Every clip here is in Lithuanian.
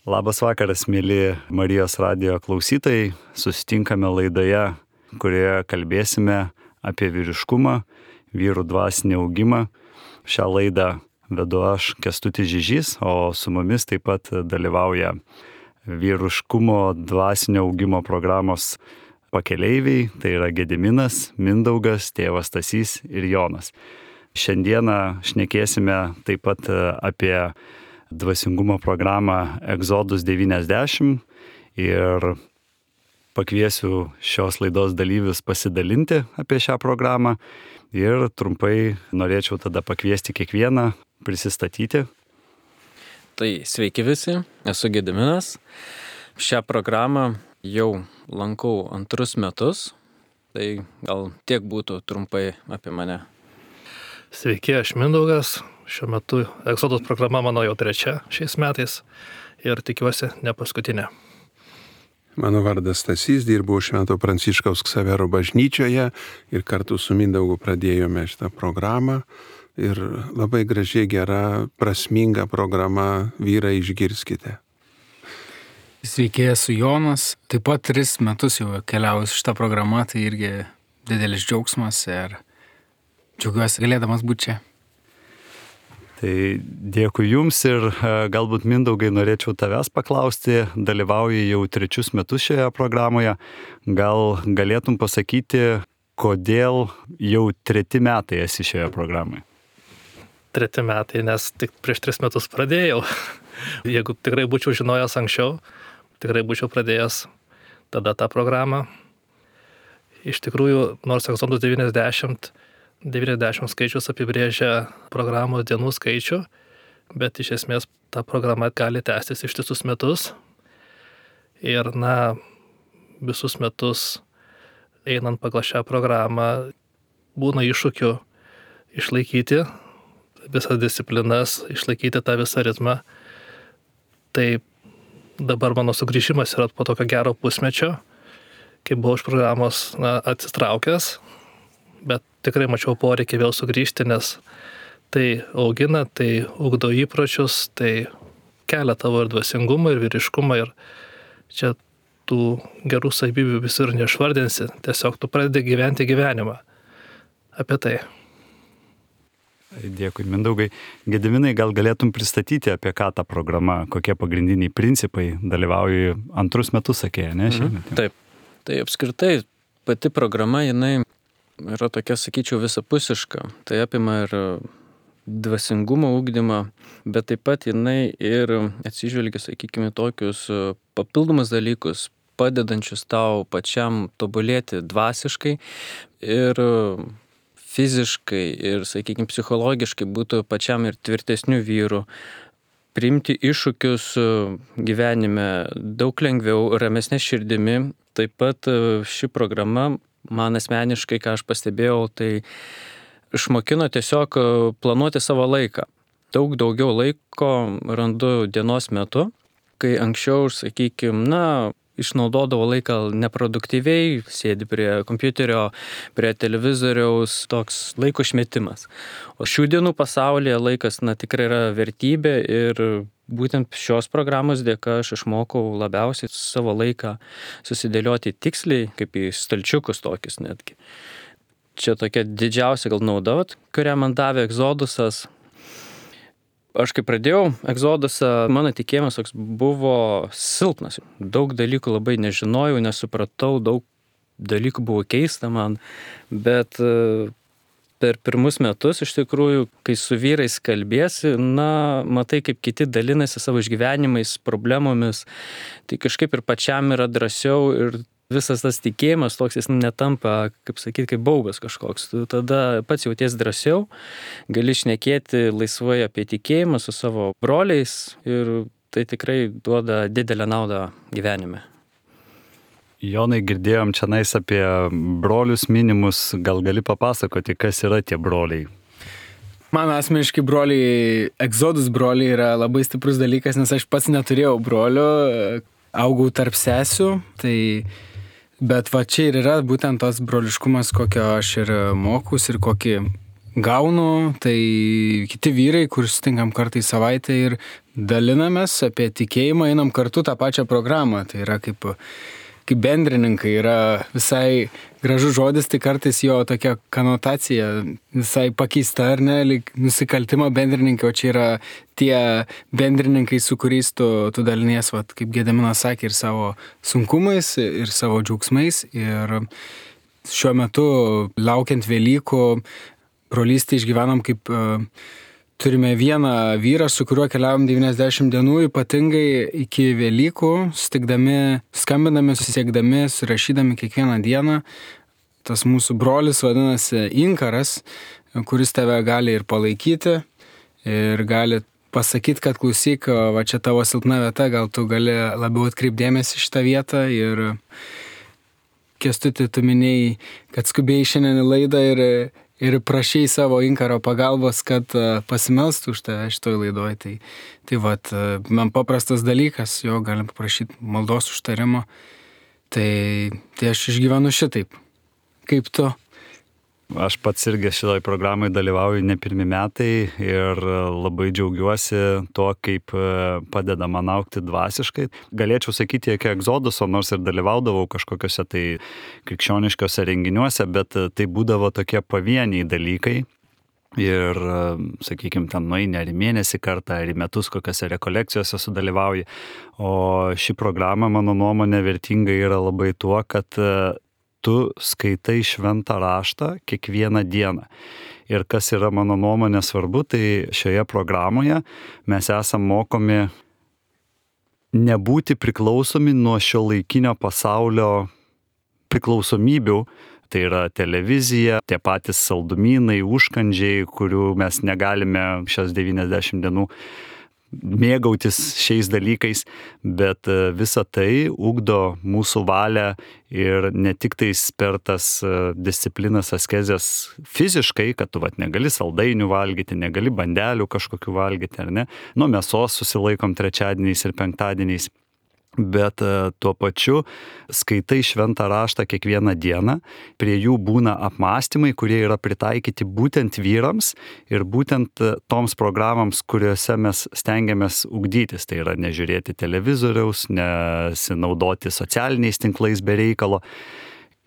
Labas vakaras, mėly Marijos radijo klausytojai. Susitinkame laidoje, kurioje kalbėsime apie vyriškumą, vyrų dvasinį augimą. Šią laidą vedu aš, Kęstutis Žižys, o su mumis taip pat dalyvauja vyriškumo dvasinio augimo programos pakeleiviai. Tai yra Gediminas, Mindaugas, tėvas Stasys ir Jonas. Šiandieną šnekėsime taip pat apie dvasingumo programą Exodus 90 ir pakviesiu šios laidos dalyvius pasidalinti apie šią programą ir trumpai norėčiau tada pakviesti kiekvieną prisistatyti. Tai sveiki visi, esu Gediminas. Šią programą jau lankau 2 metus, tai gal tiek būtų trumpai apie mane. Sveiki, aš Mindaugas. Šiuo metu Exodus programa mano jau 3 šiais metais ir tikiuosi ne paskutinė. Mano vardas Stasys, dirbau Švento Pranciškaus Ksavero bažnyčioje ir kartu su Mindaugu pradėjome šitą programą. Ir labai gražiai, gera, prasminga programa, vyrai išgirskite. Sveiki, esu Jonas. Taip pat 3 metus jau keliauju šitą programą, tai irgi didelis džiaugsmas ir džiaugiuosi galėdamas būti čia. Tai dėkui Jums ir galbūt Mindaugai norėčiau tavęs paklausti, dalyvauji jau 3 metus šioje programoje. Gal galėtum pasakyti, kodėl jau 3 metai esi šioje programoje? 3 metai, nes tik prieš 3 metus pradėjau. Jeigu tikrai būčiau žinojęs anksčiau, tikrai būčiau pradėjęs tada tą programą. Iš tikrųjų, nors Exodus 90 skaičius apibrėžia programos dienų skaičių, bet iš esmės ta programa gali tęstis ištisus metus. Ir visus metus einant pagal šią programą būna iššūkių išlaikyti visas disciplinas, išlaikyti tą visą ritmą. Tai dabar mano sugrįžimas yra po tokio gero pusmečio, kai buvau iš programos atsitraukęs, bet tikrai mačiau poreikį vėl sugrįžti, nes tai augina, tai ugdo įpročius, tai kelia tavo ir dvasingumą, ir vyriškumą, ir čia tų gerų savybių visur neišvardinsi, tiesiog tu pradedi gyventi gyvenimą. Apie tai. Dėkui, Mindaugai. Gediminai, gal galėtum pristatyti, apie ką ta programa, kokie pagrindiniai principai, dalyvauji 2 metus, sakė, ne? Taip, tai apskritai pati programa, jinai yra tokia, sakyčiau, visapusiška. Tai apima ir dvasingumo ugdymą, bet taip pat jinai ir atsižvelgia, sakykime, tokius papildomus dalykus, padedančius tau pačiam tobulėti dvasiškai ir fiziškai ir, sakykime, psichologiškai būtų pačiam ir tvirtesnių vyrų, priimti iššūkius gyvenime daug lengviau, ramesnė širdimi. Taip pat ši programa man asmeniškai, ką aš pastebėjau, tai išmokino tiesiog planuoti savo laiką. Daug daugiau laiko randu dienos metu, kai anksčiau, sakykime, išnaudodavo laiką neproduktyviai, sėdi prie kompiuterio, prie televizoriaus, toks laiko išmetimas. O šių dienų pasaulyje laikas tikrai yra vertybė ir būtent šios programos dėka aš išmokau labiausiai savo laiką susidėlioti tiksliai, kaip į stalčiukus tokius netgi. Čia tokia didžiausia gal nauda, kurią man davė Exodusas. Aš kai pradėjau Exodusą, mano tikėjimas toks buvo silpnas. Daug dalykų labai nežinojau, nesupratau, daug dalykų buvo keista man, bet per 1 metus iš tikrųjų, kai su vyrais kalbėsi, matai, kaip kiti dalinasi savo išgyvenimais, problemomis, tai kažkaip ir pačiam yra drąsiau ir visas tas tikėjimas toks jis netampa, kaip sakyti, kaip baubas kažkoks. Tu tada pats jauties drąsiau, gali šnekėti laisvai apie tikėjimą su savo broliais ir tai tikrai duoda didelę naudą gyvenime. Jonai, girdėjom čia apie brolius minimus, gal gali papasakoti, kas yra tie broliai? Man asmeniškai broliai, Exodus broliai yra labai stiprus dalykas, nes aš pats neturėjau brolių, augau tarp sesių, bet čia ir yra būtent tas broliškumas, kokio aš ir mokus ir kokį gaunu, tai kiti vyrai, kur sutinkam kartą į savaitę ir dalinamės apie tikėjimą, einam kartu tą pačią programą. Tai yra kaip bendrininkai, yra visai gražus žodis, tai kartais jo tokia konotacija visai pakeista, ar ne, lyg nusikaltimo bendrininkai, o čia yra tie bendrininkai, su kuriais tu dalinies, vat, kaip Gediminas sakė, ir savo sunkumais, ir savo džiaugsmais. Ir šiuo metu, laukiant Velykų, brolystę išgyvenam kaip turime vieną vyrą, su kuriuo keliavom 90 dienų, ypatingai iki Velykų, sutikdami, skambinami, susiekdami, surašydami kiekvieną dieną. Tas mūsų brolis vadinasi Inkaras, kuris tave gali ir palaikyti, ir gali pasakyti, kad klausyk, va čia tavo silpna vieta, gal tu gali labiau atkreipdėmėsi šitą vietą. Ir Kęstuti, tu minėjai, kad skubėjai šiandien į laidą ir prašai savo Inkaro pagalbos, kad pasimelstų už tave šitoj laidoj. Tai vat, man paprastas dalykas, jo galim paprašyti maldos užtarimo. Tai aš išgyvenu šitaip. Kaip tu? Aš pats irgi šitoj programai dalyvauju ne pirmi metai ir labai džiaugiuosi to, kaip padeda man augti dvasiškai. Galėčiau sakyti, iki egzoduso, nors ir dalyvaudavau kažkokiuose tai krikščioniškiuose renginiuose, bet tai būdavo tokie pavieniai dalykai. Ir, sakykime, ten nueini ar į mėnesį kartą, ar į metus kokiose rekolekcijose sudalyvauji. O ši programa, mano nuomonė, vertinga yra labai tuo, kad tu skaitai šventą raštą kiekvieną dieną. Ir kas yra mano nuomonė svarbu, tai šioje programoje mes esam mokomi nebūti priklausomi nuo šiuolaikinio pasaulio priklausomybių. Tai yra televizija, tie patys saldumynai, užkandžiai, kurių mes negalime šias 90 dienų mėgautis šiais dalykais, bet visa tai ugdo mūsų valią ir ne tik tais per tas disciplinas askezės fiziškai, kad tu negali saldainių valgyti, negali bandelių kažkokių valgyti, ar ne? Nuo mėsos susilaikom trečiadieniais ir penktadieniais. Bet tuo pačiu skaitai šventą raštą kiekvieną dieną, prie jų būna apmąstymai, kurie yra pritaikyti būtent vyrams ir būtent toms programams, kuriuose mes stengiamės ugdytis. Tai yra nežiūrėti televizoriaus, nesinaudoti socialiniais tinklais be reikalo.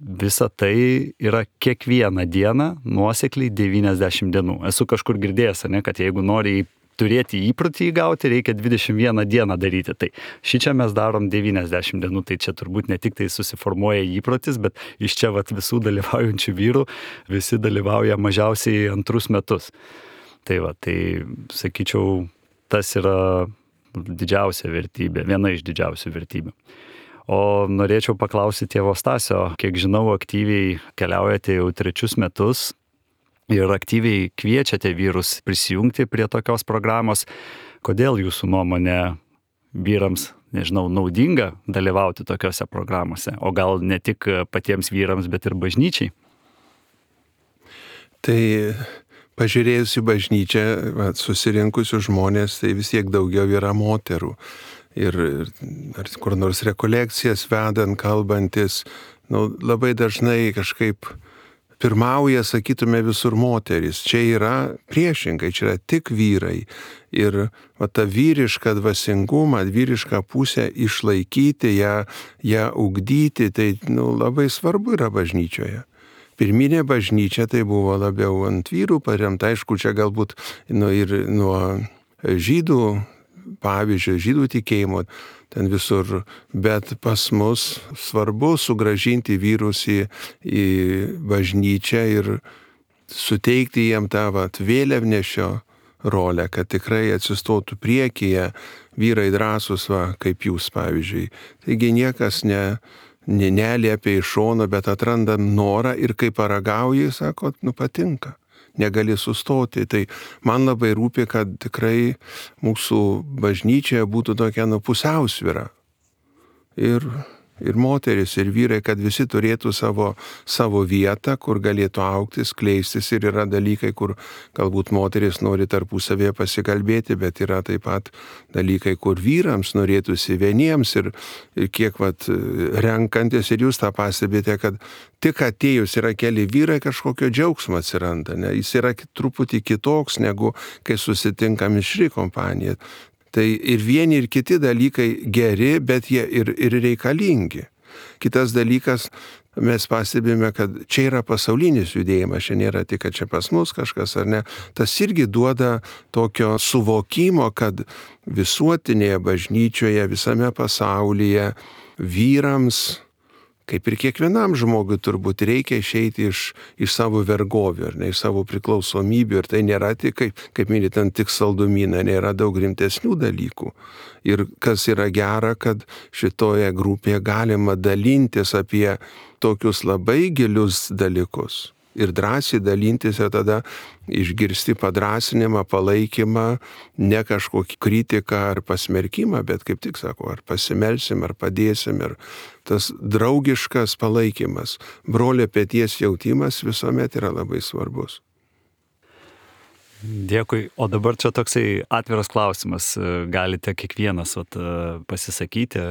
Visa tai yra kiekvieną dieną nuosekliai 90 dienų. Esu kažkur girdėjęs, ne, kad jeigu nori turėti įprotį įgauti, reikia 21 dieną daryti. Tai šičia mes darom 90 dienų, tai čia turbūt ne tik tai susiformuoja įprotis, bet iš čia visų dalyvaujančių vyrų visi dalyvauja mažiausiai 2 metus. Tai sakyčiau, tas yra didžiausia vertybė, viena iš didžiausių vertybių. O norėčiau paklausyti tėvo Stasio, kiek žinau, aktyviai keliaujate jau 3 metus, ir aktyviai kviečiate vyrus prisijungti prie tokios programos. Kodėl jūsų nuomonė vyrams, naudinga dalyvauti tokiose programuose? O gal ne tik patiems vyrams, bet ir bažnyčiai? Tai pažiūrėjus į bažnyčią, susirinkusių žmonės, tai vis tiek daugiau yra moterų. Ir ar kur nors rekolekcijas vedant, kalbantis, labai dažnai kažkaip pirmauja, sakytume, visur moteris. Čia yra priešingai, čia yra tik vyrai. Ir tą vyrišką dvasingumą, vyrišką pusę išlaikyti, ją ugdyti, tai labai svarbu yra bažnyčioje. Pirminė bažnyčia tai buvo labiau ant vyrų paremta, aišku, čia galbūt ir nuo žydų pavyzdžio, žydų tikėjimo, ten visur, bet pas mus svarbu sugrąžinti vyrus į bažnyčią ir suteikti jiem tą vėliavnešio rolę, kad tikrai atsistotų priekyje vyrai drąsūs, kaip jūs, pavyzdžiui. Taigi niekas neliepia iš šono, bet atrandam norą ir kai paragauji, sako, patinka. Negali sustoti. Tai man labai rūpi, kad tikrai mūsų bažnyčioje būtų tokia pusiausvyra. Ir moteris, ir vyrai, kad visi turėtų savo vietą, kur galėtų augti, skleistis. Ir yra dalykai, kur galbūt moteris nori tarpusavėje pasikalbėti, bet yra taip pat dalykai, kur vyrams norėtųsi vieniems. Ir kiek renkantis, ir jūs tą pastebite, kad tik atėjus yra keli vyrai, kažkokio džiaugsmo atsiranda. Ne? Jis yra truputį kitoks, negu kai susitinka mišri kompanija. Tai ir vieni, ir kiti dalykai geri, bet jie ir reikalingi. Kitas dalykas, mes pastebime, kad čia yra pasaulinis judėjimas, čia nėra tik, kad čia pas mus kažkas ar ne. Tas irgi duoda tokio suvokimo, kad visuotinėje bažnyčioje, visame pasaulyje vyrams, kaip ir kiekvienam žmogui turbūt reikia išeiti iš savo vergovių, ar ne, iš savo priklausomybių. Ir tai nėra tik, kaip minit, tik saldumynai, nėra daug rimtesnių dalykų. Ir kas yra gera, kad šitoje grupėje galima dalintis apie tokius labai gilius dalykus. Ir drąsiai dalintis ir tada išgirsti padrasinimą, palaikymą, ne kažkokį kritiką ar pasmerkimą, bet kaip tik sako, ar pasimelsim, ar padėsim. Ir tas draugiškas palaikymas, brolio peties jautimas visuomet yra labai svarbus. Dėkui. O dabar čia toksai atviras klausimas. Galite kiekvienas pasisakyti.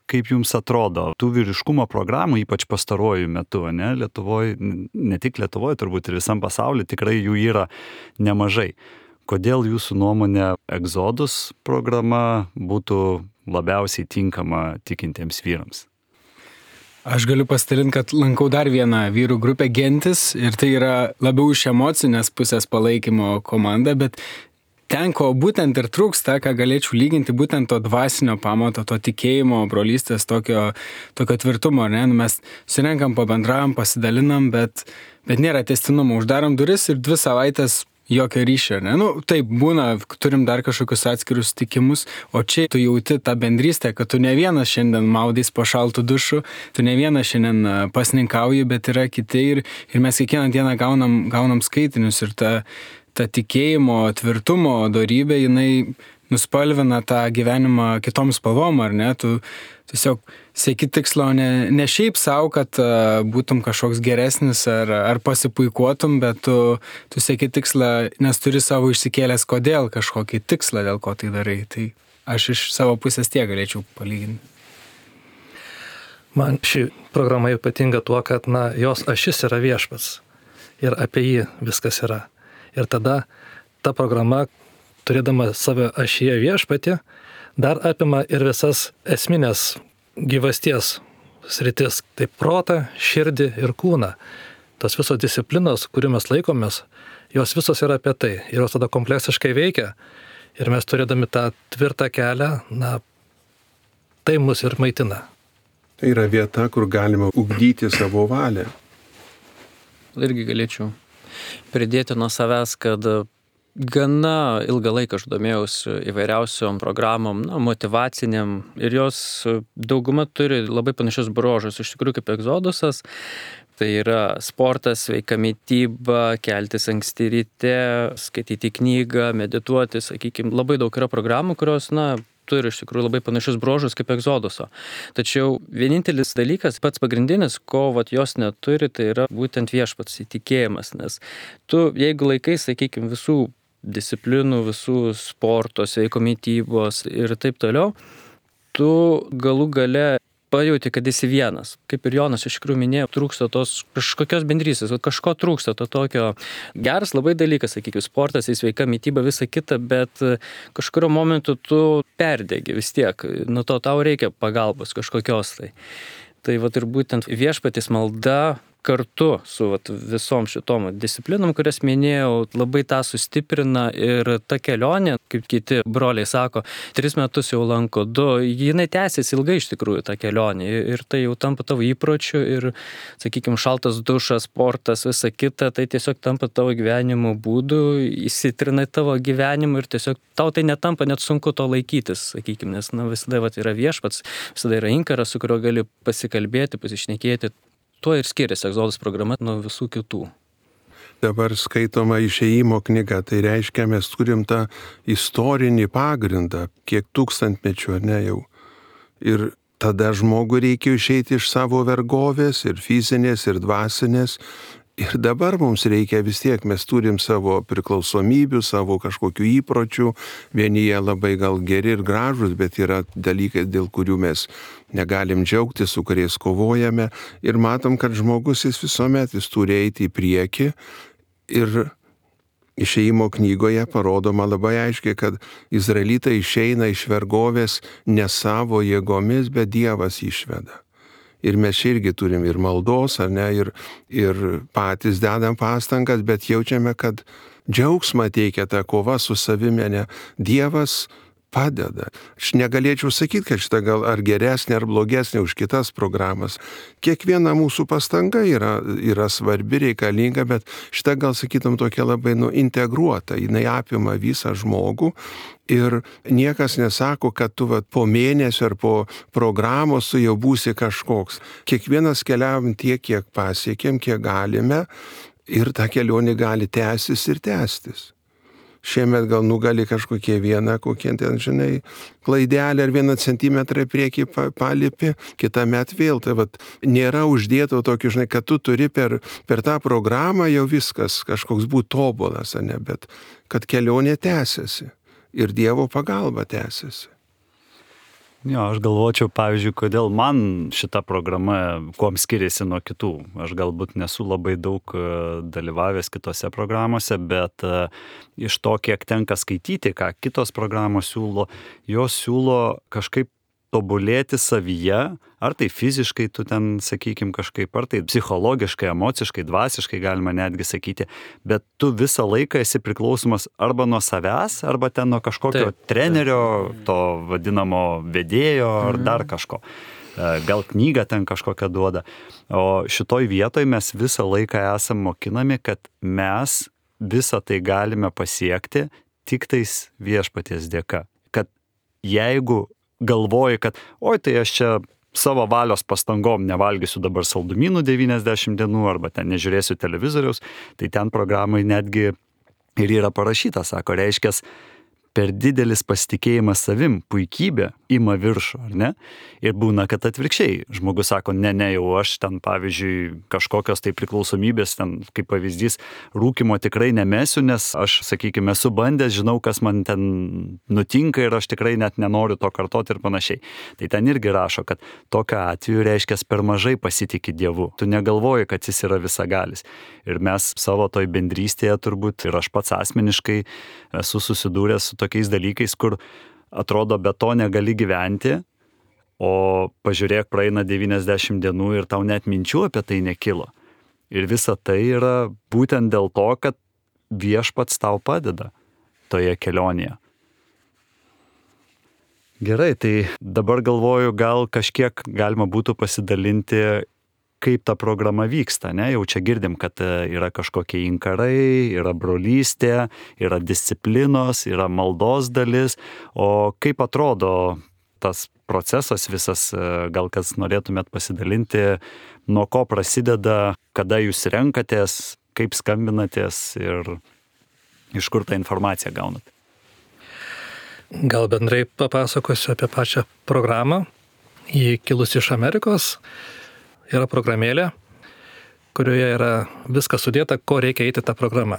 Kaip jums atrodo, tų vyriškumo programų, ypač pastaruoju metu, ne, Lietuvoje, ne tik Lietuvoje, turbūt ir visam pasaulyje, tikrai jų yra nemažai. Kodėl jūsų nuomonė Exodus programa būtų labiausiai tinkama tikintiems vyrams? Aš galiu pasidalinti, kad lankau dar vieną vyrų grupę Gentis ir tai yra labiau iš emocinės pusės palaikymo komanda, bet ten, ko būtent ir trūksta, ką galėčiau lyginti, būtent to dvasinio pamato, to tikėjimo, brolystės, tokio tvirtumo, ne? Mes surenkam, pabendravom, pasidalinam, bet nėra tęstinumo, uždarom duris ir 2 savaitės jokio ryšio, ne? Taip būna, turim dar kažkokius atskirus tikimus, o čia tu jauti tą bendrystę, kad tu ne vienas šiandien maudys po šaltų dušų, tu ne vienas šiandien pasninkauji, bet yra kiti ir mes kiekvieną dieną gaunam skaitinius ir ta tikėjimo, tvirtumo dorybė, jinai nuspalvina tą gyvenimą kitom spalvom, ar ne? Tu tiesiog sieki tikslo ne šiaip savo, kad būtum kažkoks geresnis ar pasipuikuotum, bet tu sieki tikslą, nes turi savo išsikėlęs kodėl kažkokį tikslą, dėl ko tai darai. Tai aš iš savo pusės tiek galėčiau palyginti. Man ši programa ypatinga tuo, kad jos ašis yra viešpats ir apie jį viskas yra. Ir tada ta programa, turėdama savo ašyje viešpatį, dar apima ir visas esminės gyvasties sritis. Tai protą, širdį ir kūną. Tos visos disciplinos, kurių mes laikomės, jos visos yra apie tai. Ir jos tada kompleksiškai veikia. Ir mes turėdami tą tvirtą kelią, tai mus ir maitina. Tai yra vieta, kur galima ugdyti savo valią. Irgi galėčiau pridėti nuo savęs, kad gana ilgą laiką aš domėjausi įvairiausiom programom, motyvaciniam, ir jos dauguma turi labai panašius bruožus, iš tikrųjų kaip Exodusas. Tai yra sportas, sveika mityba, keltis anksti ryte, skaityti knygą, medituoti, sakykime, labai daug yra programų, kurios, turi iš tikrųjų labai panašius bruožus kaip Exoduso. Tačiau vienintelis dalykas, pats pagrindinis, ko jos neturi, tai yra būtent viešpats įtikėjimas, nes tu, jeigu laikai, sakykime, visų disciplinų, visų sporto, sveiko mitybos ir taip toliau, tu galų gale pajauti, kad esi vienas. Kaip ir Jonas iš tikrųjų minėjo, trūksta tos kažkokios bendrystės, kažko trūksta, to tokio geras labai dalykas, sakykime, sportas, sveika mityba, visa kita, bet kažkurio momentu tu perdegi vis tiek, nuo to tau reikia pagalbos kažkokios tai. Tai ir būtent viešpaties malda kartu su visom šitom disciplinom, kurias minėjau, labai tą sustiprina ir ta kelionė, kaip kiti broliai sako, 3 metus jau lanko 2, jinai tęsiasi ilgai iš tikrųjų tą kelionę ir tai jau tampa tavo įpročiu ir, sakykime, šaltas dušas, sportas, visa kita, tai tiesiog tampa tavo gyvenimo būdu, įsitrina tavo gyvenimą ir tiesiog tau tai netampa net sunku to laikytis, sakykime, nes visada yra viešpats, visada yra inkaras, su kuriuo gali pasikalbėti, pasišnekėti. Tuo ir skiriasi Exodus programa nuo visų kitų. Dabar skaitoma Išėjimo knyga, tai reiškia, mes turim tą istorinį pagrindą, kiek tūkstantmečių, ar ne jau. Ir tada žmogui reikia išeiti iš savo vergovės, ir fizinės, ir dvasinės. Ir dabar mums reikia vis tiek, mes turim savo priklausomybių, savo kažkokių įpročių, vieni jie labai gal geri ir gražus, bet yra dalykai, dėl kurių mes negalim džiaugtis, su kuriais kovojame. Ir matom, kad žmogus jis visuomet turi eiti į priekį ir Išėjimo knygoje parodoma labai aiškiai, kad izraelitai išeina iš vergovės ne savo jėgomis, bet Dievas išveda. Ir mes irgi turim ir maldos, ar ne, ir patys dedam pastangas, bet jaučiame, kad džiaugsmą teikia ta kova su savimi, ne, Dievas padeda. Aš negalėčiau sakyti, kad šita gal ar geresnė, ar blogesnė už kitas programas. Kiekviena mūsų pastanga yra svarbi, reikalinga, bet šita gal sakytum tokia labai integruota, jinai apima visą žmogų ir niekas nesako, kad tu po mėnesio ar po programos tu jau būsi kažkoks. Kiekvienas keliavom tiek, kiek pasiekėm, kiek galime ir ta kelionė gali tęstis ir tęstis. Šiemet gal nugali kažkokie kokie ten, žinai, klaidelė ar 1 centimetrą priekį palipi, kitą met vėl. Tai nėra uždėto tokio, žinai, kad tu turi per tą programą jau viskas kažkoks būti tobulas, ne, bet kad kelionė tęsiasi ir Dievo pagalba tęsiasi. Jo, aš galvočiau, pavyzdžiui, kodėl man šita programa kuom skiriasi nuo kitų. Aš galbūt nesu labai daug dalyvavęs kitose programuose, bet iš to, kiek tenka skaityti, ką kitos programos siūlo, jos siūlo kažkaip tobulėti savyje, ar tai fiziškai tu ten, sakykim, kažkaip, ar tai psichologiškai, emociškai, dvasiškai galima netgi sakyti, bet tu visą laiką esi priklausomas arba nuo savęs, arba ten nuo kažkokio trenerio, to vadinamo vedėjo, ar dar kažko. Gal knygą ten kažkokią duoda. O šitoj vietoj mes visą laiką esam mokinami, kad mes visą tai galime pasiekti tik tais Viešpaties dėka. Kad jeigu galvoji, kad tai aš čia savo valios pastangom nevalgysiu dabar saldumynų 90 dienų arba ten nežiūrėsiu televizoriaus, tai ten programai netgi ir yra parašyta, sako, reiškias, per didelis pasitikėjimas savim, puikybė ima viršų, ar ne? Ir būna, kad atvirkščiai. Žmogus sako, ne, jau aš ten, pavyzdžiui, kažkokios tai priklausomybės, ten, kaip pavyzdys, rūkymo tikrai nemesiu, nes aš, sakykime, esu bandęs, žinau, kas man ten nutinka ir aš tikrai net nenoriu to kartoti ir panašiai. Tai ten irgi rašo, kad tokiu atveju reiškia per mažai pasitiki Dievu. Tu negalvoji, kad jis yra visagalis. Ir mes savo toj bendrystėje turbūt, ir aš pats asmeniškai esu susidūręs su tokiais dalykais, kur atrodo be to negali gyventi, o pažiūrėk, praeina 90 dienų ir tau net minčių apie tai nekilo. Ir visa tai yra būtent dėl to, kad Viešpats tau padeda toje kelionėje. Gerai, tai dabar galvoju, gal kažkiek galima būtų pasidalinti, kaip ta programa vyksta, ne? Jau čia girdim, kad yra kažkokie inkarai, yra brolystė, yra disciplinos, yra maldos dalis, o kaip atrodo tas procesas visas, gal kas norėtumėt pasidalinti, nuo ko prasideda, kada jūs renkatės, kaip skambinatės ir iš kur tą informaciją gaunat? Gal bendrai papasakosiu apie pačią programą. Ji kilusi iš Amerikos. Yra programėlė, kurioje yra viskas sudėta, ko reikia eiti tą programą.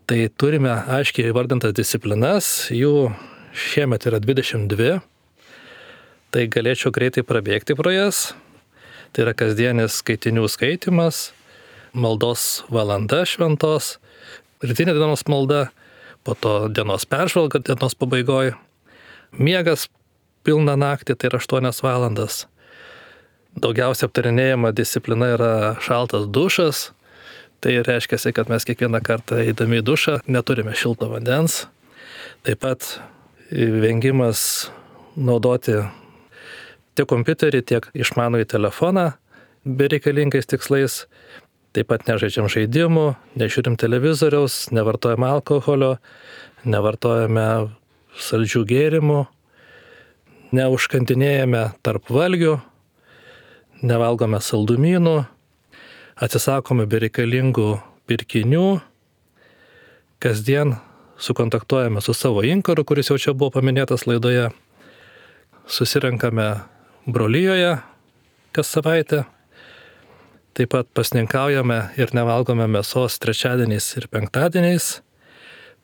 Tai turime aiškiai įvardintas disciplinas, jų šiemet yra 22, tai galėčiau greitai prabėgti pro jas. Tai yra kasdienis skaitinių skaitimas, maldos valanda šventos, rytinė dienos malda, po to dienos peržvalga dienos pabaigoje, miegas pilną naktį, tai yra 8 valandas. Daugiausia aptarinėjama disciplina yra šaltas dušas. Tai reiškia, kad mes kiekvieną kartą eidami į dušą neturime šilto vandens. Taip pat vengimas naudoti tiek kompiuterį, tiek išmanųjį telefoną bereikalingais tikslais. Taip pat nežaidžiam žaidimų, nežiūrim televizoriaus, nevartojam alkoholio, nevartojame saldžių gėrimų, neužkandinėjame tarp valgių, nevalgome saldumynų, atsisakome bereikalingų pirkinių, kasdien sukontaktuojame su savo inkaru, kuris jau čia buvo paminėtas laidoje, susirenkame brolijoje kas savaitę, taip pat pasninkaujame ir nevalgome mėsos trečiadieniais ir penktadieniais,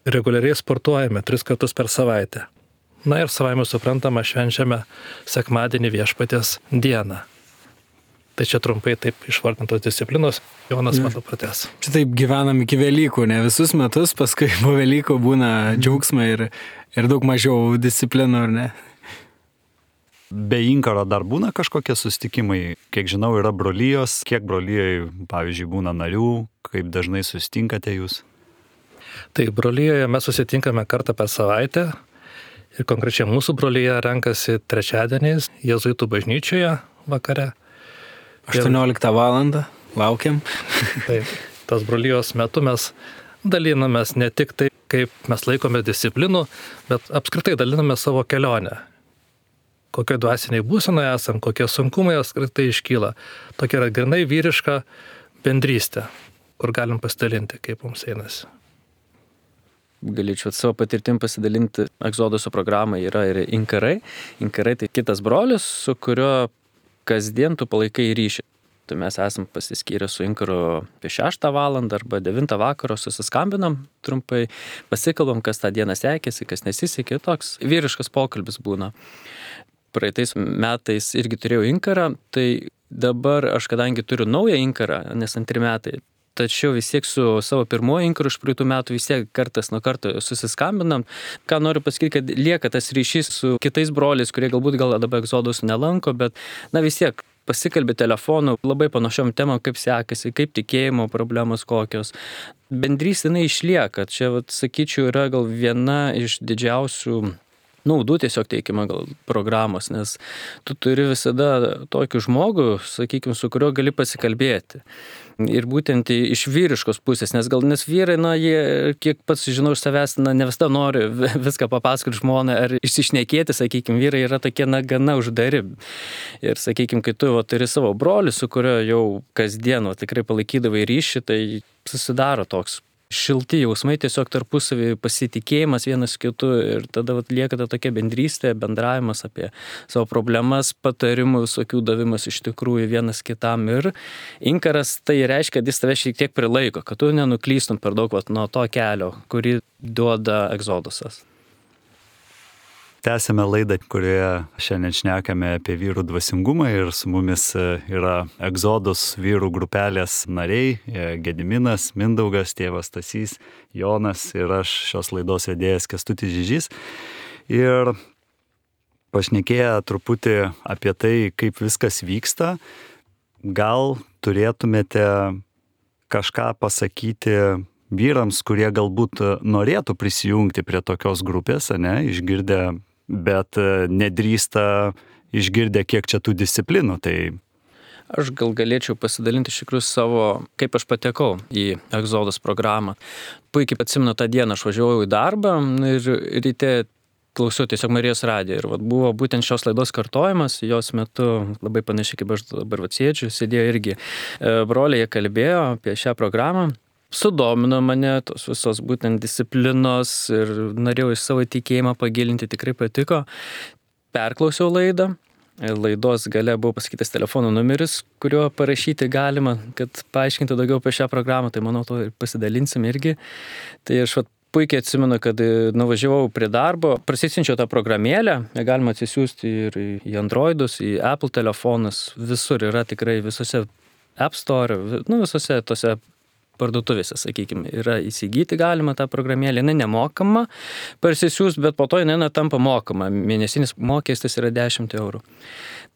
reguliariai sportuojame 3 kartus per savaitę. Na ir savaime suprantama, švenčiame sekmadienį Viešpaties dieną. Tai čia trumpai taip išvardintos disciplinos, Jonas man pratęs. Čia taip gyvenam iki Velykų, ne visus metus, paskui po Velykų būna džiaugsmai ir daug mažiau disciplinų, ar ne? Be inkaro dar būna kažkokie susitikimai, kiek žinau, yra brolijos, kiek brolijai, pavyzdžiui, būna narių, kaip dažnai susitinkate jūs? Tai brolijoje mes susitinkame kartą per savaitę ir konkrečiai mūsų brolyje renkasi trečiadieniais Jėzuitų bažnyčioje vakare. 18 valandą, laukiam. Taip, tos brolijos metu mes dalinamės ne tik tai, kaip mes laikome disciplinų, bet apskritai daliname savo kelionę. Kokioj dvasiniai būsenoje esam, kokie sunkumai apskritai iškyla. Tokia yra grinai vyriška bendrystė, kur galim pasidalinti, kaip mums einasi. Galėčiau savo patirtim pasidalinti. Egzoduso programai yra ir inkarai. Inkarai tai kitas brolis, su kuriuo kasdien tu palaikai ryšį. Tai mes esam pasiskyrę su inkaru apie 6 valandą arba 9 vakaro, susiskambinam trumpai, pasikalbam, kas tą dieną sekėsi, kas nesisekė, toks vyriškas pokalbis būna. Praeitais metais irgi turėjau inkarą, tai dabar aš kadangi turiu naują inkarą, nes 2 metai, tačiau vis tiek su savo pirmoju inkaru iš praeitų metų vis tiek kartas nuo karto susiskambinam. Ką noriu pasakyti, kad lieka tas ryšys su kitais broliais, kurie galbūt dabar Egzodus nelanko, bet vis tiek pasikalbė telefonu labai panašiom temom, kaip sekasi, kaip tikėjimo problemos kokios. Bendrystė jinai išlieka. Čia, sakyčiau, yra gal viena iš didžiausių naudų tiesiog teikima gal programos, nes tu turi visada tokį žmogų, sakykime, su kuriuo gali pasikalbėti. Ir būtent iš vyriškos pusės, nes vyrai, jie, kiek pats žinau iš savęs, ne visada nori viską papasakoti žmonai ar išsišnekėti, sakykime, vyrai yra tokie, gana uždari. Ir, sakykime, kai tu turi savo brolį, su kuriuo jau kasdien tikrai palaikydavai ryšį, tai susidaro toks šilti jausmai, tiesiog tarpusavį pasitikėjimas vienas kitu ir tada lieka ta tokia bendrystė, bendravimas apie savo problemas, patarimų visokių davimas iš tikrųjų vienas kitam. Ir inkaras tai reiškia, kad jis tave šiek tiek prilaiko, kad tu nenuklystum per daug nuo to kelio, kurį duoda Egzodusas. Tęsėme laidą, kurioje šiandien šnekame apie vyrų dvasingumą ir su mumis yra Egzodus vyrų grupelės nariai Gediminas, Mindaugas, tėvas Stasys, Jonas ir aš šios laidos vedėjas Kęstutis Žižys. Ir pašnekėję truputį apie tai, kaip viskas vyksta, gal turėtumėte kažką pasakyti vyrams, kurie galbūt norėtų prisijungti prie tokios grupės, išgirdę, bet nedrįsta išgirdę, kiek čia tų disciplinų. Tai aš gal galėčiau pasidalinti iš tikrųjų savo, kaip aš patekau į Egzodus programą. Puikiai atsimenu tą dieną, aš važiavau į darbą ir ryte klausiau tiesiog Marijos radijo. Ir buvo būtent šios laidos kartojimas, jos metu labai panašiai kaip aš dabar sėdžiu, sėdėjo irgi broliai, jie kalbėjo apie šią programą. Sudomino mane tos visos būtent disciplinos ir norėjau iš savo tikėjimą pagilinti, tikrai patiko. Perklausiau laidą, laidos gale buvo pasakytas telefono numeris, kuriuo parašyti galima, kad paaiškinti daugiau apie šią programą, tai manau to ir pasidalinsim irgi. Tai aš puikiai atsimenu, kad nuvažiavau prie darbo, prasisinčiau tą programėlę, ją galima atsisiųsti ir į Androidus, į Apple telefonus, visur yra tikrai visose App Store, visose tose parduotuvėse, sakykime, yra įsigyti galima tą programėlę, jinai nemokama parsisiųs, bet po to jinai tampa mokama. Mėnesinis mokestis yra 10 eurų.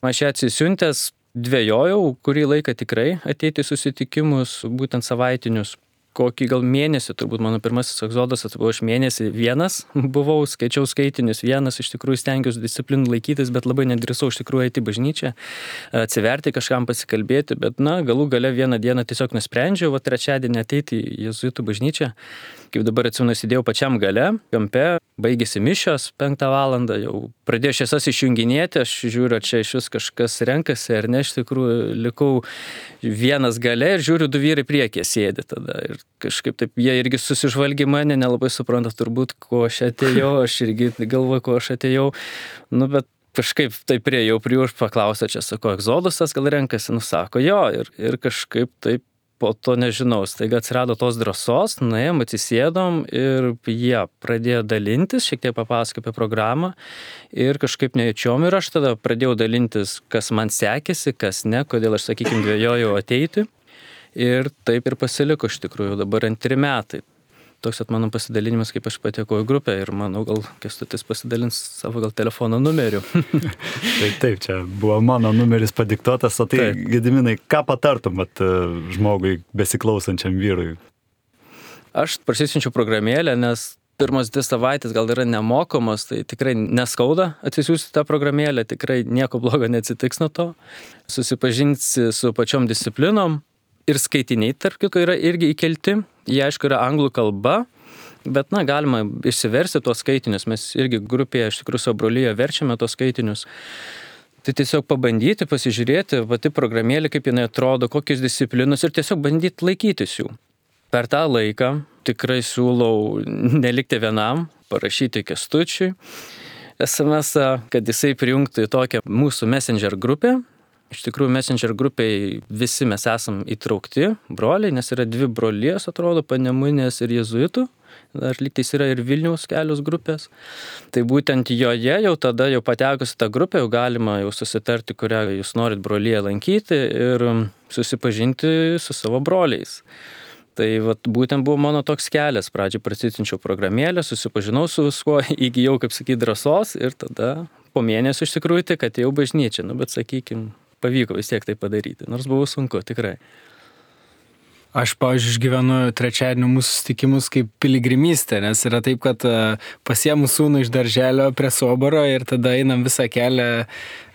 Aš ją atsisiuntęs dvejojau, kurį laiką tikrai ateiti susitikimus, būtent savaitinius. Kokį gal mėnesį, turbūt mano pirmasis Egzodusas buvo aš mėnesį vienas buvau, skaičiau skaitinius vienas, iš tikrųjų stengiausi disciplinų laikytis, bet labai nedrįsau iš tikrųjų eiti į bažnyčią, atsiverti kažkam pasikalbėti, bet galų gale vieną dieną tiesiog nusprendžiau, trečiadienį ateiti į Jėzuitų bažnyčią. Kaip dabar atsimenu, sėdėjau pačiam gale, kampe, baigėsi mišios 5 valandą, jau pradėjo šviesas išjunginėti, aš žiūriu, čia iš vis kažkas renkasi, ar ne, iš tikrųjų likau vienas gale ir žiūriu, 2 vyrai priekyje sėdi tada. Ir kažkaip taip, jie irgi susižvalgė mane, nelabai supranta turbūt, ko aš atėjau, aš irgi galvoju, ko aš atėjau, bet kažkaip taip priejau prie už paklausę, čia sako, Egzodusas gal renkasi, sako, jo, ir kažkaip taip po to nežinau, staiga atsirado tos drąsos, nuėjom, atsisėdom ir jie pradėjo dalintis, šiek tiek papasako apie programą ir kažkaip nejučiom ir aš tada pradėjau dalintis, kas man sekėsi, kas ne, kodėl aš, sakykime, dvejojau ateiti ir taip ir pasiliko iš tikrųjų dabar 2 metai. Toks mano pasidalinimas, kaip aš patekau į grupę ir manau, gal Kęstutis pasidalins savo gal telefono numeriu. Taip, čia buvo mano numeris padiktuotas, o tai, Gediminai, ką patartum žmogui besiklausančiam vyrui? Aš prasisiunčiau programėlę, nes pirmas 2 savaitės gal yra nemokamos, tai tikrai neskauda atsisiųsti tą programėlę, tikrai nieko blogo neatsitiks nuo to. Susipažinsi su pačiom disciplinom ir skaitiniai, tarp kitko, yra irgi įkelti. Jie, aišku, yra anglų kalba, bet, galima išsiversti tuos skaitinius. Mes irgi grupėje, iš tikrųjų, savo brolyje verčiame tuos skaitinius. Tai tiesiog pabandyti, pasižiūrėti, pati programėlė, kaip jinai atrodo, kokios disciplinos ir tiesiog bandyti laikytis jų. Per tą laiką tikrai siūlau nelikti vienam, parašyti Kęstučiui SMS-ą, kad jisai prijungtų į tokią mūsų Messenger grupę. Iš tikrųjų, Messenger grupiai visi mes esam įtraukti, broliai, nes yra 2 brolijos, atrodo, Panemunės ir Jėzuitų. Dar lygtais yra ir Vilniaus kelios grupės. Tai būtent joje jau tada, jau patekus į tą grupę, jau galima jau susitarti, kurią jūs norit brolyje lankyti ir susipažinti su savo broliais. Tai būtent buvo mano toks kelias. Pradžiai prasisiunčiau programėlę, susipažinau su viskuo, įgijau, kaip sakyti, drąsos ir tada po mėnesio iš tikrųjų tik atėjau bažnyčią. Bet sakykim, pavyko vis tiek tai padaryti, nors buvo sunku, tikrai. Aš, pavyzdžiui, išgyvenu trečiadienio mūsų susitikimus kaip piligrimystę, nes yra taip, kad pasiemu sūnų iš darželio prie soboro ir tada einam visą kelią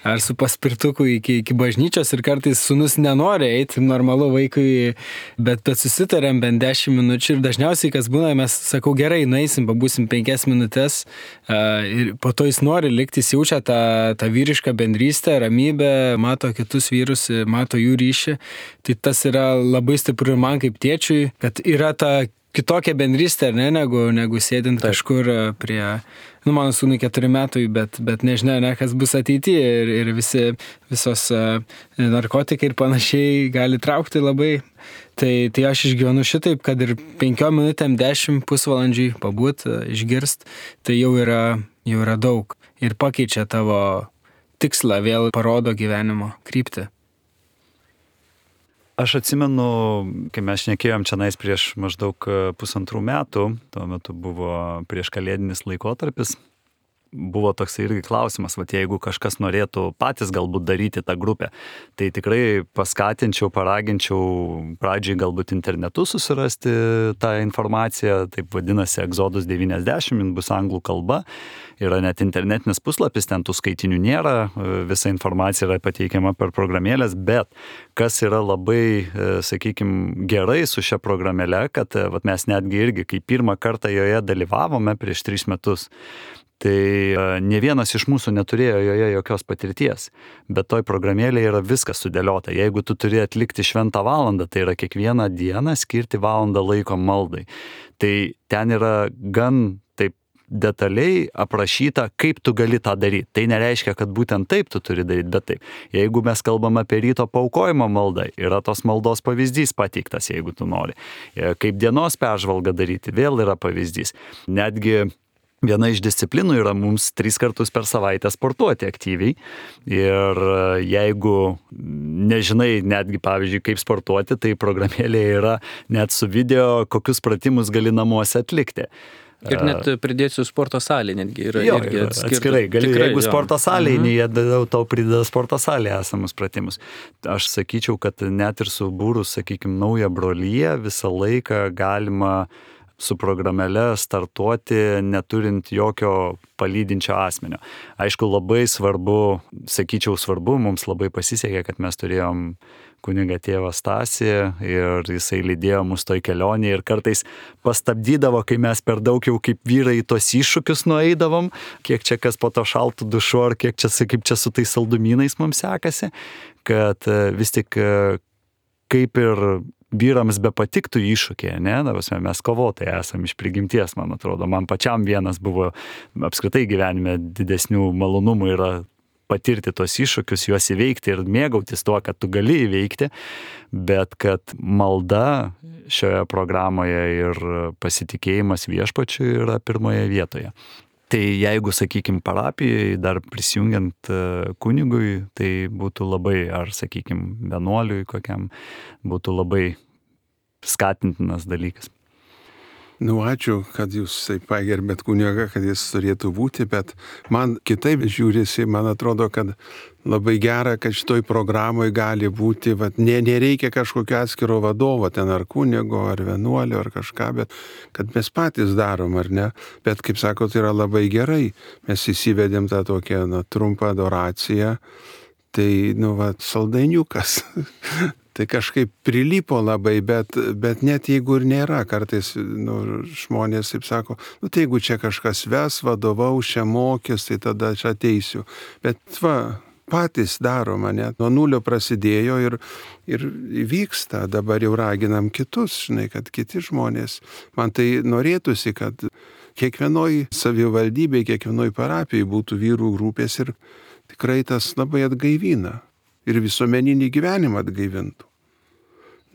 ar su paspirtuku iki bažnyčios ir kartais sūnus nenori eiti, normalu vaikui, bet susitarėm bent 10 minučių ir dažniausiai, kas būna, mes sakau, gerai, nueisim, pabūsim 5 minutės ir po to jis nori likti, jis jaučia tą vyrišką bendrystę, ramybę, mato kitus vyrus, mato jų ryšį. Tai tas yra labai stipru ir man kaip tėčiui, kad yra ta kitokia bendrystė, negu sėdint kažkur prie, mano sūnui 4 metų, bet nežinia, kas bus ateityje ir visos narkotikai ir panašiai gali traukti labai. Tai aš išgyvenu šitaip, kad ir 5 minutėm, 10 pusvalandžiai pabūt, išgirst, tai jau yra daug ir pakeičia tavo tikslą, vėl parodo gyvenimo kryptį. Aš atsimenu, kai mes šnekėjom čia prieš maždaug 1,5 metų, tuo metu buvo prieš kalėdinis laikotarpis, buvo toks irgi klausimas, jeigu kažkas norėtų patys galbūt daryti tą grupę, tai tikrai paskatinčiau, paraginčiau pradžiai galbūt internetu susirasti tą informaciją, taip vadinasi Exodus 90, bus anglų kalba, yra net internetinis puslapis, ten tų skaitinių nėra, visa informacija yra pateikiama per programėlės, bet kas yra labai, sakykime, gerai su šia programėle, kad mes netgi irgi, kai pirmą kartą joje dalyvavome prieš 3 metus, tai ne vienas iš mūsų neturėjo joje jokios patirties, bet toj programėlėje yra viskas sudėliota. Jeigu tu turi atlikti šventą valandą, tai yra kiekvieną dieną skirti valandą laiko maldai. Tai ten yra gan taip detaliai aprašyta, kaip tu gali tą daryti. Tai nereiškia, kad būtent taip tu turi daryti, bet taip. Jeigu mes kalbam apie ryto paaukojimo maldą, yra tos maldos pavyzdys pateiktas, jeigu tu nori. Kaip dienos peržvalgą daryti, vėl yra pavyzdys. Netgi viena iš disciplinų yra mums 3 kartus per savaitę sportuoti aktyviai ir jeigu nežinai netgi, pavyzdžiui, kaip sportuoti, tai programėlėje yra net su video, kokius pratimus gali namuose atlikti. Ir net pridėsiu sporto salė, netgi yra irgi atskirai. Jeigu sporto salėje, jie tau prideda sporto salėje esamus pratimus. Aš sakyčiau, kad net ir subūrus, sakykime, naują broliją, visą laiką galima su programėle startuoti, neturint jokio palydinčio asmenio. Aišku, labai svarbu, mums labai pasisekė, kad mes turėjom kunigą tėvą Stasį ir jisai lydėjo mus toj kelionėje ir kartais pastabdydavo, kai mes per daug jau kaip vyrai tos iššūkius nueidavom, kiek čia kas po to šaltų dušu ar kaip čia su tais saldumynais mums sekasi, kad vis tik kaip ir vyrams be patiktų iššūkiai, mes kovotojai esame iš prigimties, man atrodo. Man pačiam vienas buvo apskritai gyvenime didesnių malonumų yra patirti tos iššūkius, juos įveikti ir mėgautis tuo, kad tu gali įveikti, bet kad malda šioje programoje ir pasitikėjimas viešpačiu yra pirmoje vietoje. Tai jeigu, sakykime, parapijai, dar prisijungiant kunigui, tai būtų labai, ar, sakykime, vienuoliui kokiam, būtų labai skatintinas dalykas. Ačiū, kad jūs taip pagerbėt kunigą, kad jis turėtų būti, bet man kitaip žiūrisi, man atrodo, kad labai gera, kad šitoj programoje gali būti, nereikia kažkokio atskiro vadovo, ten ar kunigo, ar vienuolio, ar kažką, bet kad mes patys darom, ar ne? Bet, kaip sako, tai yra labai gerai. Mes įsivedėm tą tokią trumpą adoraciją, tai, saldainiukas. Tai kažkaip prilipo labai, bet net jeigu ir nėra, kartais žmonės taip sako, tai jeigu čia kažkas ves, vadovaus, čia mokys, tai tada čia ateisiu. Bet patys daro mane, nuo nulio prasidėjo ir vyksta, dabar jau raginam kitus, kad kiti žmonės. Man tai norėtųsi, kad kiekvienoj savivaldybėje, kiekvienoj parapijai būtų vyrų grupės ir tikrai tas labai atgaivina. Ir visuomeninį gyvenimą atgaivintų.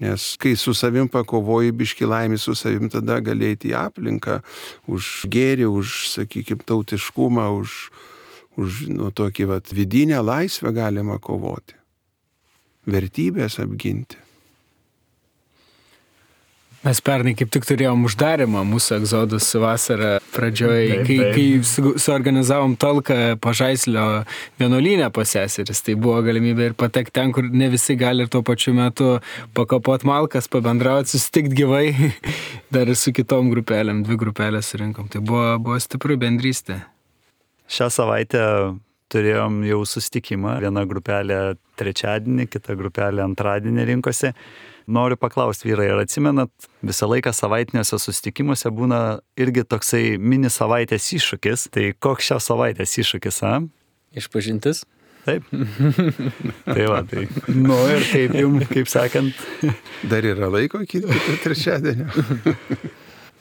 Nes kai su savim pakovoji biški laimį su savim, tada gali eiti į aplinką už gėrį, už, sakykime, tautiškumą, už tokį vidinę laisvę galima kovoti. Vertybės apginti. Mes pernai kaip tik turėjom uždarimą mūsų Egzodus vasarą pradžioje, kai suorganizavom talką Pažaislio vienuolyne pas seseris. Tai buvo galimybė ir patekti ten, kur ne visi gali ir tuo pačiu metu pakapot malkas, pabendrauti, susitikti gyvai. Dar ir su kitom grupelėm, 2 grupelės surinkom. Tai buvo stipri bendrystė. Šią savaitę turėjom jau susitikimą. Viena grupelė trečiadienį, kita grupelė antradienį rinkosi. Noriu paklausti, vyrai, ar atsimenat, visą laiką savaitiniuose susitikimuose būna irgi toksai mini savaitės iššūkis. Tai koks šios savaitės iššūkis, Išpažintis? Taip. Tai tai. Ir kaip jums, kaip sakant. Dar yra laiko iki trečiadienio.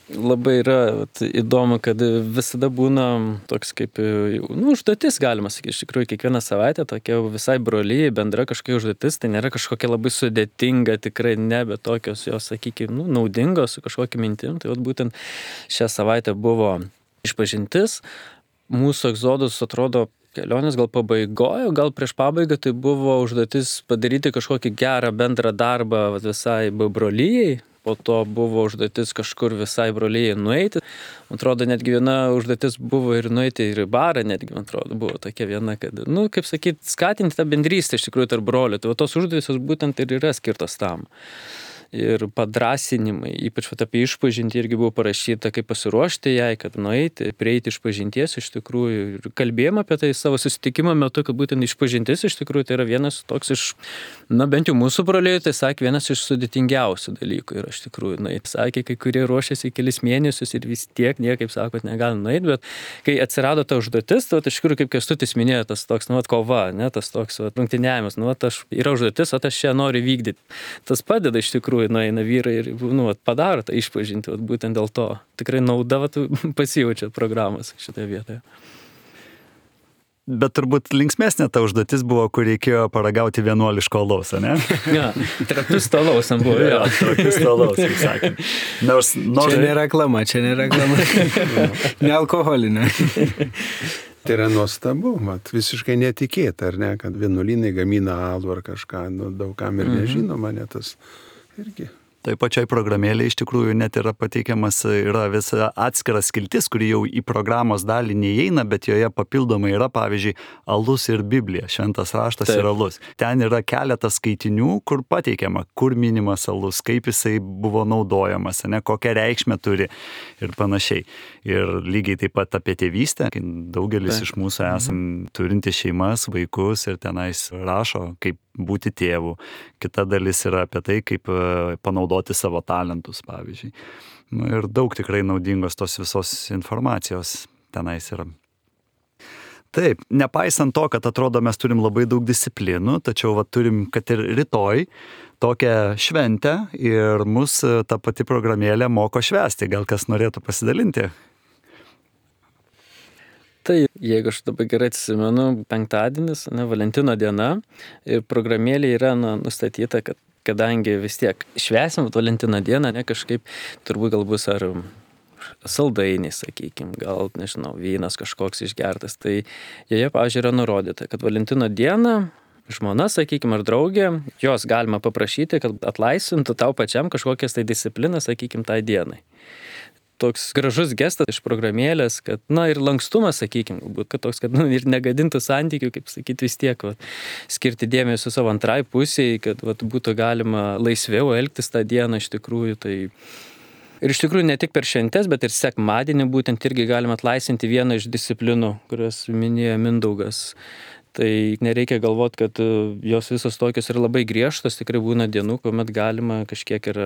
Labai yra įdomu, kad visada būna toks kaip, užduotis, galima sakyti, iš tikrųjų, kiekvieną savaitę tokia visai brolyje, bendra kažkokia užduotis, tai nėra kažkokia labai sudėtinga, tikrai ne, bet tokios jos, sakykime, naudingos su kažkokia mintim. Tai būtent šią savaitę buvo išpažintis. Mūsų Egzodus atrodo kelionės gal pabaigojo, gal prieš pabaigą tai buvo užduotis padaryti kažkokį gerą bendrą darbą visai brolyjei. Po to buvo užduotis kažkur visai brolyjei nueiti. Man atrodo, netgi viena užduotis buvo ir nueiti ir į barą, netgi, man atrodo, buvo tokia viena, kad, kaip sakyti, skatinti tą bendrystę iš tikrųjų tarp brolių. Tai tos užduotis būtent ir yra skirtos tam. Ir padrasinimai, ypač apie išpažintį irgi buvo parašyta, kaip pasiruošti jai, kad nueiti, prieiti išpažinties iš tikrųjų. Ir kalbėjome apie tai savo susitikimo metu, kad būtent išpažintis iš tikrųjų tai yra vienas toks iš, bent jau mūsų broliai, tai sakė, vienas iš sudėtingiausių dalykų. Ir iš tikrųjų, sakė, kai kurie ruošiasi kelis mėnesius ir vis tiek niekaip, sakot, negali nueiti, bet kai atsirado ta užduotis, tai iš tikrųjų, kaip Kęstutis minėjo, tas toks, kova, tas toks rungtyniavimas, yra užduotis, o aš čia noriu vykdyti. Tas padeda iš tikrųjų, eina vyrai ir padaro tą išpažinti, būtent dėl to. Tikrai nauda pasijaučia programos šitoje vietoje. Bet turbūt linksmesnė ta užduotis buvo, kur reikėjo paragauti vienuoliško alaus, ne? Ja, trapius alaus buvo. Ja, trapius alaus, kaip sakant. Čia nėra reklama, nealkoholinė. Tai yra nuostabu, visiškai netikėta, ar ne, kad vienuolynai gamina alų ar kažką, daugam ir nežinoma, tas irgi. Tai pačiai programėlė iš tikrųjų net yra pateikiamas, yra visa atskiras skiltis, kuri jau į programos dalį neįeina, bet joje papildomai yra, pavyzdžiui, alus ir Biblija, šventas raštas ir alus. Ten yra keletas skaitinių, kur pateikiama, kur minimas alus, kaip jisai buvo naudojamas, kokią reikšmę turi ir panašiai. Ir lygiai taip pat apie tėvystę, kai daugelis iš mūsų esam turinti šeimas, vaikus ir tenais rašo, kaip būti tėvu. Kita dalis yra apie tai, kaip panaudoti savo talentus, pavyzdžiui. Ir daug tikrai naudingos tos visos informacijos tenais yra. Taip, nepaisant to, kad atrodo mes turim labai daug disciplinų, tačiau turim, kad ir rytoj tokią šventę ir mus ta pati programėlė moko švęsti. Gal kas norėtų pasidalinti? Tai jeigu aš dabar gerai atsimenu, penktadienis, Valentino diena ir programėlė yra nustatyta, kad kadangi vis tiek švęsim Valentino dieną, kažkaip turbūt gal bus ar saldainiai, sakykime, gal, nežinau, vynas kažkoks išgertas, tai joje, pavyzdžiui, yra nurodyta, kad Valentino dieną žmona, sakykime, ar draugė, jos galima paprašyti, kad atlaisvintų tau pačiam kažkokias tai disciplinas, sakykime, tai dienai. Toks gražus gestas iš programėlės, kad, ir lankstumas, sakykime, galbūt, kad toks, kad ir negadintų santykių, kaip sakyti, vis tiek, skirti dėmesio savo antrai pusiai, kad būtų galima laisviau elgtis tą dieną iš tikrųjų. Tai... Ir iš tikrųjų ne tik per šventes, bet ir sekmadienį būtent irgi galima atlaisvinti vieną iš disciplinų, kurias minėjo Mindaugas. Tai nereikia galvoti, kad jos visos tokios yra labai griežtos, tikrai būna dienų, kuomet galima kažkiek ir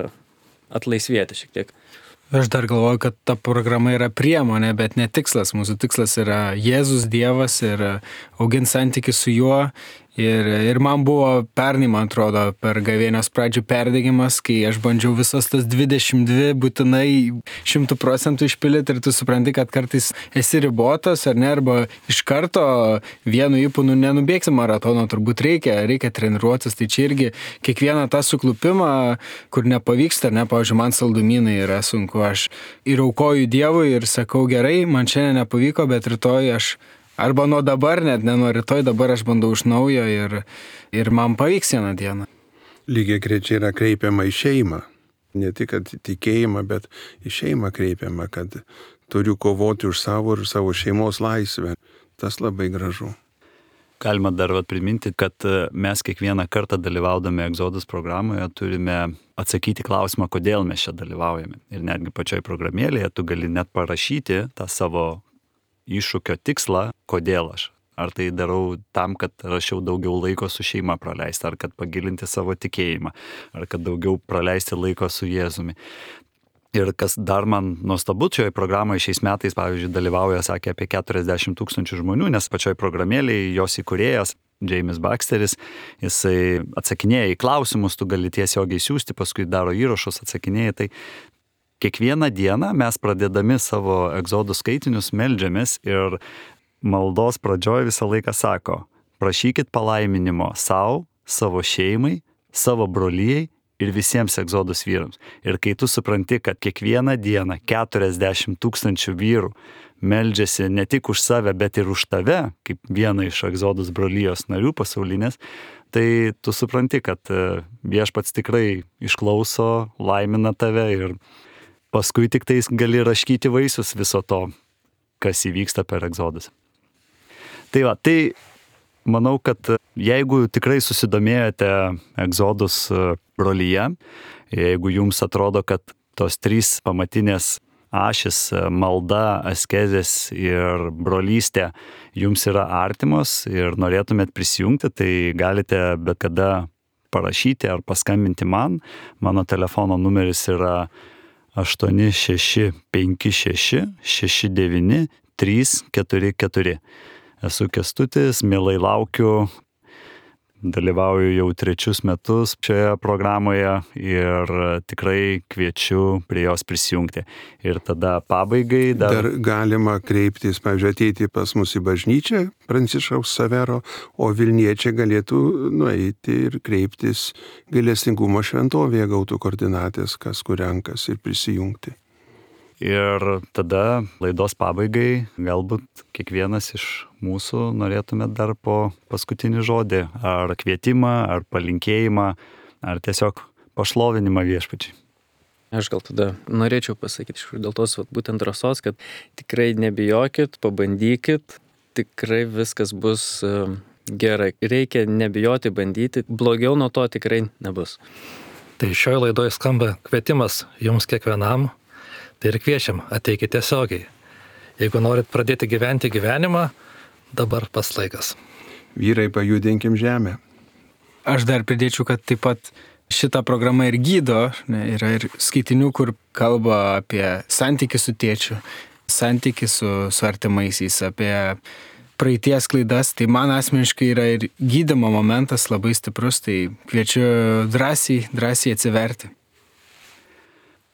atlaisvėti šiek tiek. Aš dar galvoju, kad ta programa yra priemonė, bet ne tikslas. Mūsų tikslas yra Jėzus Dievas ir auginti santykių su juo. Ir man buvo pernai, man atrodo, per gavėnios pradžių perdegimas, kai aš bandžiau visas tas 22 būtinai 100% išpildyti ir tu supranti, kad kartais esi ribotas ar ne, arba iš karto vienu įpūnu nenubėgsi maratono, turbūt reikia treniruotis. Tai čia irgi kiekvieną tą suklupimą, kur nepavyksta, pavyzdžiui, man saldumynai yra sunku, aš ir aukoju Dievui ir sakau, gerai, man šiandien nepavyko, bet rytoj aš arba nuo dabar, net ne nuo rytoj, dabar aš bandau iš naujo ir man pavyks vieną dieną. Lygiai grečiai yra kreipiama į šeimą. Ne tik tikėjimą, bet į šeimą kreipiama, kad turiu kovoti už savo ir savo šeimos laisvę. Tas labai gražu. Galima dar priminti, kad mes kiekvieną kartą dalyvaudami Exodus programoje turime atsakyti klausimą, kodėl mes čia dalyvaujame. Ir netgi pačioj programėlėje tu gali net parašyti tą savo iššūkio tikslą, kodėl aš. Ar tai darau tam, kad rašiau daugiau laiko su šeima praleisti, ar kad pagilinti savo tikėjimą, ar kad daugiau praleisti laiko su Jėzumi. Ir kas dar man nuostabu, šioje programoje šiais metais, pavyzdžiui, dalyvauja, sakė, apie 40 000 žmonių, nes pačioj programėlėje jos įkūrėjas, James Baxteris, jisai atsakinėja į klausimus, tu gali tiesiogiai siųsti, paskui daro įrašus, atsakinėja. Tai kiekvieną dieną mes pradėdami savo Exodus skaitinius meldžiamės ir maldos pradžioj visą laiką sako, prašykit palaiminimo savo, savo šeimai, savo brolijai ir visiems Exodus vyrams. Ir kai tu supranti, kad kiekvieną dieną 40 000 vyrų meldžiasi ne tik už save, bet ir už tave, kaip vieną iš Exodus brolijos narių pasaulinės, tai tu supranti, kad viešpats tikrai išklauso, laimina tave ir paskui tik tais gali raškyti vaisius viso to, kas įvyksta per Exodus. Tai manau, kad jeigu tikrai susidomėjote Exodus brolyje, jeigu jums atrodo, kad tos 3 pamatinės ašis - malda, askezės ir brolystė jums yra artimos ir norėtumėt prisijungti, tai galite bet kada parašyti ar paskambinti man. Mano telefono numeris yra 8656 69 344. Esu Kęstutis, mielai laukiu, dalyvauju jau 3 metus šioje programoje ir tikrai kviečiu prie jos prisijungti. Ir tada pabaigai dar galima kreiptis, pavyzdžiui, ateiti pas mus į bažnyčią Pranciškaus Savero, o Vilniečiai galėtų nueiti ir kreiptis gailestingumo šventovėje, gautų koordinatės, kas kur renkas ir prisijungti. Ir tada laidos pabaigai galbūt kiekvienas iš mūsų norėtume dar po paskutinį žodį, ar kvietimą, ar palinkėjimą, ar tiesiog pašlovinimą viešpačiui. Aš gal tada norėčiau pasakyti dėl tos būtent drąsos, kad tikrai nebijokit, pabandykit, tikrai viskas bus gerai. Reikia nebijoti, bandyti, blogiau nuo to tikrai nebus. Tai šioje laidoje skamba kvietimas jums kiekvienam. Tai ir kviečiam, ateikite tiesiogiai. Jeigu norit pradėti gyventi gyvenimą, dabar pats laikas. Vyrai, pajudinkim žemę. Aš dar pridėčiau, kad taip pat šita programa ir gydo, yra ir skaitinių, kur kalba apie santykį su tėčiu, santykį su artimaisiais, apie praeities klaidas. Tai man asmeniškai yra ir gydymo momentas labai stiprus, tai kviečiu drąsiai atsiverti.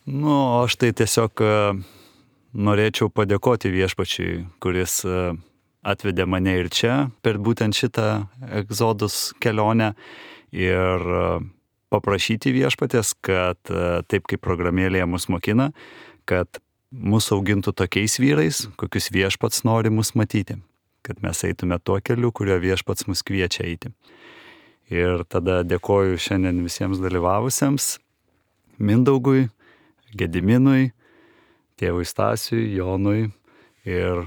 Aš tai tiesiog norėčiau padėkoti viešpačiui, kuris atvedė mane ir čia per būtent šitą egzodus kelionę ir paprašyti viešpaties, kad taip kaip programėlėje mus mokina, kad mus augintų tokiais vyrais, kokius viešpats nori mus matyti, kad mes eitume tuo keliu, kurio viešpats mus kviečia eiti. Ir tada dėkoju šiandien visiems dalyvavusiems, Mindaugui, Gediminui, tėvui Stasiui, Jonui ir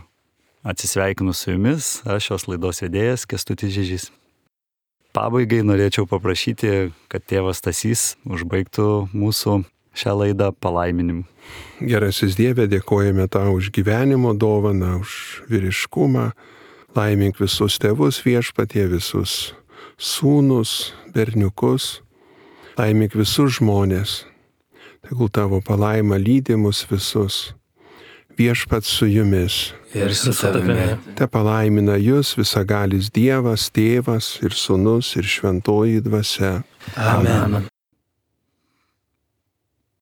atsisveikinu su jumis, aš šios laidos vedėjas Kęstutis Žižys. Pabaigai norėčiau paprašyti, kad tėvas Stasys užbaigtų mūsų šią laidą palaiminimu. Gerasis Dieve, dėkojame tau už gyvenimo dovaną, už vyriškumą. Laimink visus tėvus viešpatie, visus sūnus, berniukus. Laimink visus žmonės. Tegul tavo palaima lydi mus visus. Viešpats su jumis. Ir su tavimi. Te palaimina jūs visagalis Dievas, Tėvas ir Sūnus ir Šventoji Dvasia. Amen.